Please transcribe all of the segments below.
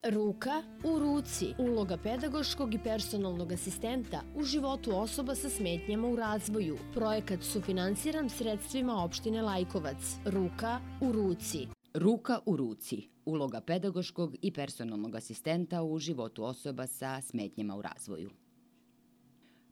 Ruka u ruci. Uloga pedagoškog i personalnog asistenta u životu osoba sa smetnjama u razvoju. Projekat sufinansiran sredstvima opštine Lajkovac. Ruka u ruci. Ruka u ruci. Uloga pedagoškog i personalnog asistenta u životu osoba sa smetnjama u razvoju.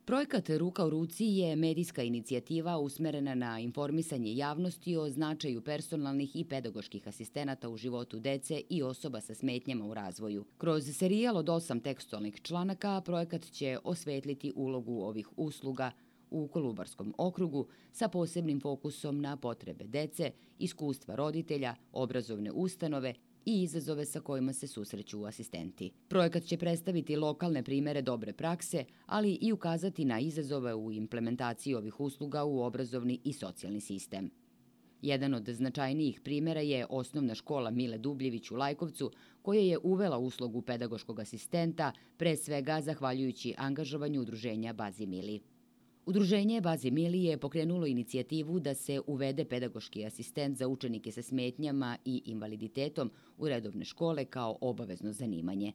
Projekat Ruka u ruci je medijska inicijativa usmerena na informisanje javnosti o značaju personalnih i pedagoških asistenata u životu dece i osoba sa smetnjama u razvoju. Kroz serijal od 8 tekstualnih članaka projekat će osvetliti ulogu ovih usluga u Kolubarskom okrugu sa posebnim fokusom na potrebe dece, iskustva roditelja, obrazovne ustanove i izazove sa kojima se susreću asistenti. Projekat će predstaviti lokalne primere dobre prakse, ali i ukazati na izazove u implementaciji ovih usluga u obrazovni i socijalni sistem. Jedan od značajnijih primera je osnovna škola Mile Dubljević u Lajkovcu, koja je uvela uslugu pedagoškog asistenta, pre svega zahvaljujući angažovanju udruženja Bazi Mili. Udruženje Bazi Mili je pokrenulo inicijativu da se uvede pedagoški asistent za učenike sa smetnjama i invaliditetom u redovne škole kao obavezno zanimanje.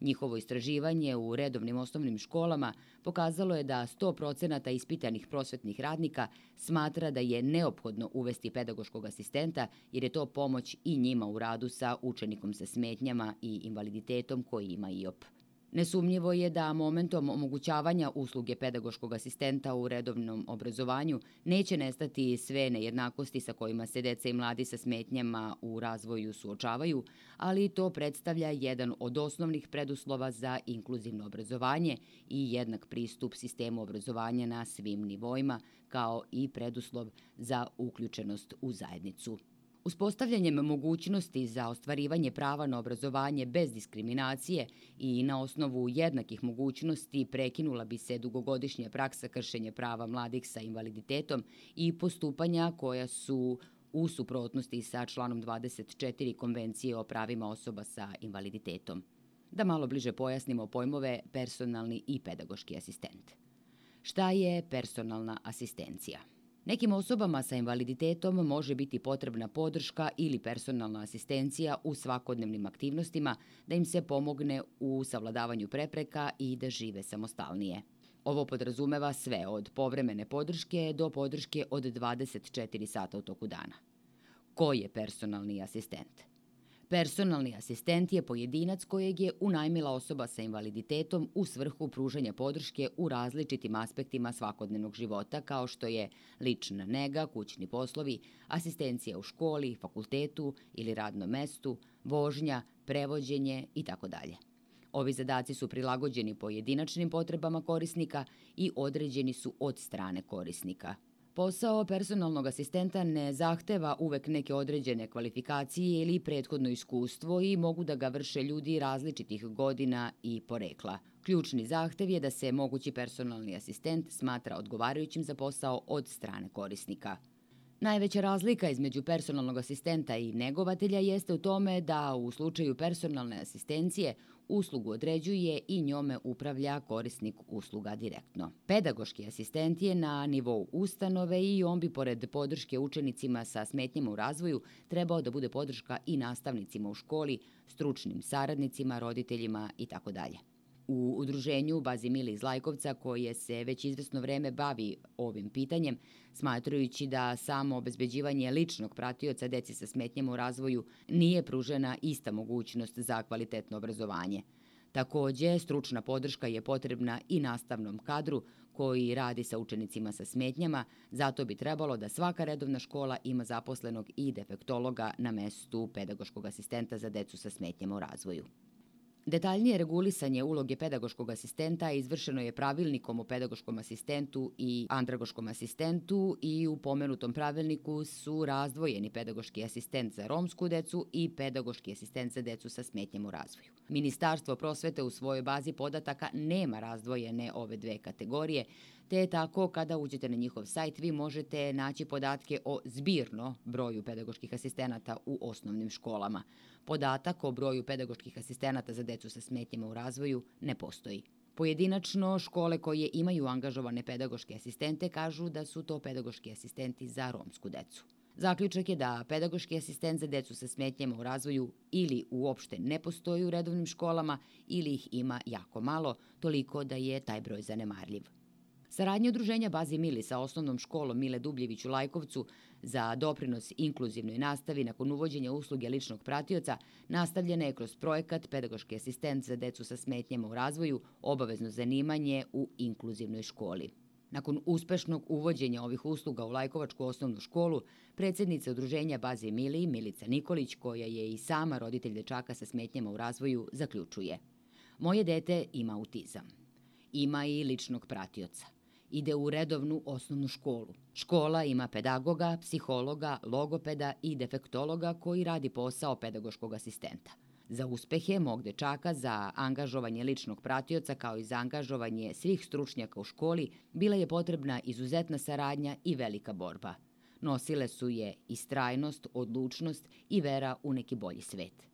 Njihovo istraživanje u redovnim osnovnim školama pokazalo je da 100% ispitanih prosvetnih radnika smatra da je neophodno uvesti pedagoškog asistenta jer je to pomoć i njima u radu sa učenikom sa smetnjama i invaliditetom koji ima IOP. Nesumnjivo je da momentom omogućavanja usluge pedagoškog asistenta u redovnom obrazovanju neće nestati sve nejednakosti sa kojima se deca i mladi sa smetnjama u razvoju suočavaju, ali to predstavlja jedan od osnovnih preduslova za inkluzivno obrazovanje i jednak pristup sistemu obrazovanja na svim nivoima, kao i preduslov za uključenost u zajednicu. Uspostavljanjem mogućnosti za ostvarivanje prava na obrazovanje bez diskriminacije i na osnovu jednakih mogućnosti prekinula bi se dugogodišnja praksa kršenja prava mladih sa invaliditetom i postupanja koja su u suprotnosti sa članom 24 Konvencije o pravima osoba sa invaliditetom. Da malo bliže pojasnimo pojmove personalni i pedagoški asistent. Šta je personalna asistencija? Nekim osobama sa invaliditetom može biti potrebna podrška ili personalna asistencija u svakodnevnim aktivnostima da im se pomogne u savladavanju prepreka i da žive samostalnije. Ovo podrazumeva sve od povremene podrške do podrške od 24 sata u toku dana. Ko je personalni asistent? Personalni asistent je pojedinac kojeg je unajmila osoba sa invaliditetom u svrhu pružanja podrške u različitim aspektima svakodnevnog života kao što je lična nega, kućni poslovi, asistencija u školi, fakultetu ili radnom mestu, vožnja, prevođenje itd. Ovi zadaci su prilagođeni pojedinačnim potrebama korisnika i određeni su od strane korisnika. Posao personalnog asistenta ne zahteva uvek neke određene kvalifikacije ili prethodno iskustvo i mogu da ga vrše ljudi različitih godina i porekla. Ključni zahtev je da se mogući personalni asistent smatra odgovarajućim za posao od strane korisnika. Najveća razlika između personalnog asistenta i negovatelja jeste u tome da u slučaju personalne asistencije uslugu određuje i njome upravlja korisnik usluga direktno. Pedagoški asistent je na nivou ustanove i on bi pored podrške učenicima sa smetnjama u razvoju trebao da bude podrška i nastavnicima u školi, stručnim saradnicima, roditeljima itd. U udruženju Bazi Mili iz Lajkovca, koje se već izvesno vreme bavi ovim pitanjem, smatrajući da samo obezbeđivanje ličnog pratioca deci sa smetnjama u razvoju nije pružena ista mogućnost za kvalitetno obrazovanje. Takođe, stručna podrška je potrebna i nastavnom kadru koji radi sa učenicima sa smetnjama, zato bi trebalo da svaka redovna škola ima zaposlenog i defektologa na mestu pedagoškog asistenta za decu sa smetnjama u razvoju. Detaljnije regulisanje uloge pedagoškog asistenta izvršeno je pravilnikom o pedagoškom asistentu i andragoškom asistentu i u pomenutom pravilniku su razdvojeni pedagoški asistent za romsku decu i pedagoški asistent za decu sa smetnjama u razvoju. Ministarstvo prosvete u svojoj bazi podataka nema razdvojene ove dve kategorije, te je tako kada uđete na njihov sajt vi možete naći podatke o zbirno broju pedagoških asistenata u osnovnim školama. Podatak o broju pedagoških asistenata za decu sa smetnjama u razvoju ne postoji. Pojedinačno, škole koje imaju angažovane pedagoške asistente kažu da su to pedagoški asistenti za romsku decu. Zaključak je da pedagoški asistent za decu sa smetnjama u razvoju ili uopšte ne postoji u redovnim školama ili ih ima jako malo, toliko da je taj broj zanemarljiv. Saradnja Udruženja Bazi Mili sa osnovnom školom Mile Dubljević u Lajkovcu za doprinos inkluzivnoj nastavi nakon uvođenja usluge ličnog pratioca nastavljena je kroz projekat Pedagoški asistent za decu sa smetnjama u razvoju, obavezno zanimanje u inkluzivnoj školi. Nakon uspešnog uvođenja ovih usluga u Lajkovačku osnovnu školu, predsjednica Udruženja Bazi Mili, Milica Nikolić, koja je i sama roditelj dečaka sa smetnjama u razvoju, zaključuje: "Moje dete ima autizam. Ima i ličnog pratioca. Ide u redovnu osnovnu školu. Škola ima pedagoga, psihologa, logopeda i defektologa koji radi posao pedagoškog asistenta. Za uspehe mog dečaka, za angažovanje ličnog pratioca kao i za angažovanje svih stručnjaka u školi bila je potrebna izuzetna saradnja i velika borba. Nosile su je istrajnost, odlučnost i vera u neki bolji svet.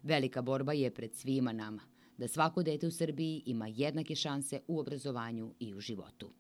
Velika borba je pred svima nama, da svako dete u Srbiji ima jednake šanse u obrazovanju i u životu."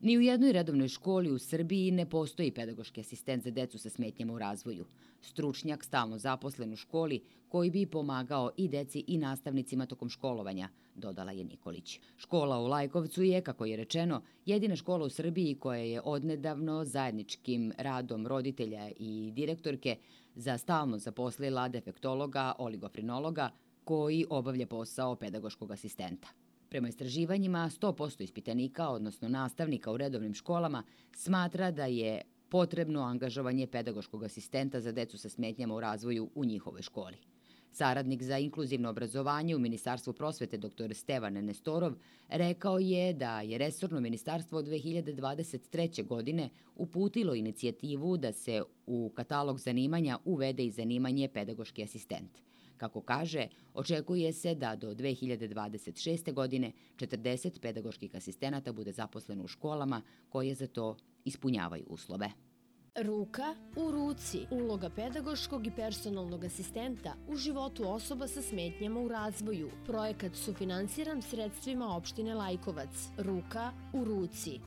Ni u jednoj redovnoj školi u Srbiji ne postoji pedagoški asistent za decu sa smetnjama u razvoju, stručnjak stalno zaposlen u školi koji bi pomagao i deci i nastavnicima tokom školovanja, dodala je Nikolić. Škola u Lajkovcu je, kako je rečeno, jedina škola u Srbiji koja je odnedavno zajedničkim radom roditelja i direktorke za stalno zaposlila defektologa, oligofrenologa koji obavlja posao pedagoškog asistenta. Prema istraživanjima, 100% ispitanika, odnosno nastavnika u redovnim školama, smatra da je potrebno angažovanje pedagoškog asistenta za decu sa smetnjama u razvoju u njihovoj školi. Saradnik za inkluzivno obrazovanje u Ministarstvu prosvete dr. Stevan Nestorov rekao je da je resorno ministarstvo od 2023. godine uputilo inicijativu da se u katalog zanimanja uvede i zanimanje pedagoški asistent. Kako kaže, očekuje se da do 2026. godine 40 pedagoških asistenata bude zaposleno u školama koje za to ispunjavaju uslove. Ruka u ruci. Uloga pedagoškog i personalnog asistenta u životu osoba sa smetnjama u razvoju. Projekat sufinansiran sredstvima opštine Lajkovac. Ruka u ruci.